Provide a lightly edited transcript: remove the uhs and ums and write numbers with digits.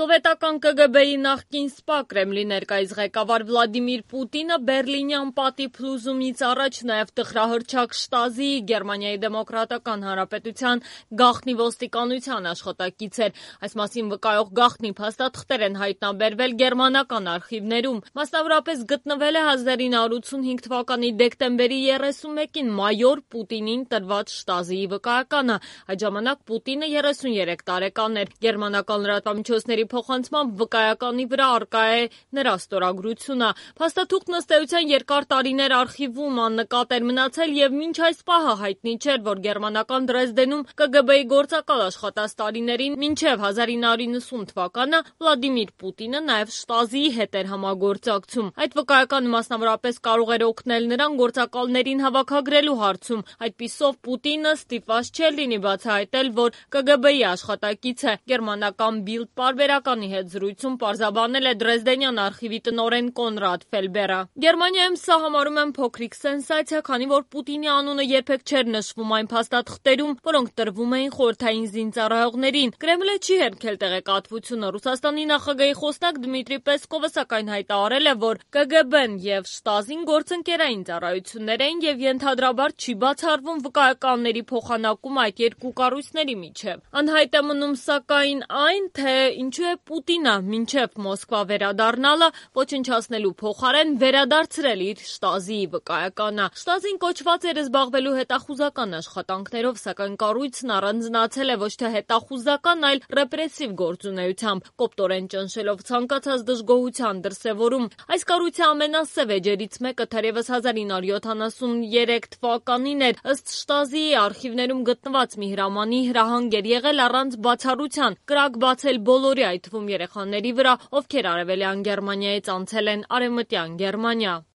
Սովետական ԿԳԲ-ի նախկին ՍՊԱ Կրեմլի ներկայիս ղեկավար Վլադիմիր Պուտինը Բերլինյան պատի փլուզումից առաջ նաև տխրահռչակ Շտազիի Գերմանիայի Դեմոկրատական Հանրապետության գաղտնի ոստիկանության աշխատակից էր։ Այս մասին վկայող գաղտնի փաստաթղթեր են հայտնաբերվել գերմանական արխիվներում։ Մասնավորապես գտնվել է 1985 թվականի դեկտեմբերի 31-ին մայոր Պուտինին տրված Շտազիի վկայականը։ Այդ ժամանակ Պուտինը 33 տարեկան էր։ Գերմանական լրատվամիջոցների փոխանցմամբ վկայականի վրա առկա է նրա ստորագրությունը։ Փաստաթուղթն ըստ էության երկար տարիներ արխիվում աննկատ էր մնացել եւ մինչ այս պահը հայտնի չէր, որ գերմանական Դրեզդենում ԿԳԲ-ի գործակալ աշխատած տարիներին մինչեւ 1990 թվականը Վլադիմիր Պուտինը նաեւ Շտազիի հետ էր համագործակցում։ Այդ վկայականը մասնավորապես կարող էր օգնել նրան գործակալներին հավաքագրելու հարցում։ Այդպիսով Պուտինը ստիպված չէր լինի բացահայտել, որ ԿԳԲ-ի աշխատակից է։ Գերմանական Bild պարբերականի հետ զրույցում պարզաբանել է Դրեզդենյան արխիվի տնօրեն Կոնրադ Ֆելբերը։ Գերմանիայում սա համարում են փոքրիկ սենսացիա, քանի որ Պուտինի անունը երբեք չէր նշվում այն փաստաթղթերում, որոնք տրվում էին խորհրդային զինծառայողներին։ Կրեմլը չի հերքել տեղեկատվությունը։ Ռուսաստանի նախագահի խոսնակ Դմիտրի Պեսկովը սակայն հայտարարել է, որ ԿԳԲ-ն եւ Շտազին գործընկերային ծառայություններ էին եւ ենթադրաբար չի բացառվում վկայականների փոխանակում այդ երկու կառույցների միջեւ։ Անհայտ է մնում սակայն այն, թե ինչու է Պուտինը մինչև Մոսկվա վերադառնալը ոչնչացնելու փոխարեն վերադարձրել իր Շտազիի վկայականը։ Շտազին կոչված էր զբաղվելու հետախուզական աշխատանքներով, սակայն կառույցն առանձնացել է ոչ թե հետախուզական, այլ ռեպրեսիվ գործունեությամբ, կոպտորեն ճնշելով ցանկացած դժգոհության դրսևորում։ Այս կառույցի ամենասև էջերից մեկը թերևս 1973 թվականին էր։ Ըստ Շտազիի արխիվներում գտնված մի հրամանի հրահանգ էր եղել առանց բացառության կրակ բացել բոլորի, այդ թվում երեխաների վրա, ովքեր արևելյան Գերմանիայից անցել են արևմտյան Գերմանիա։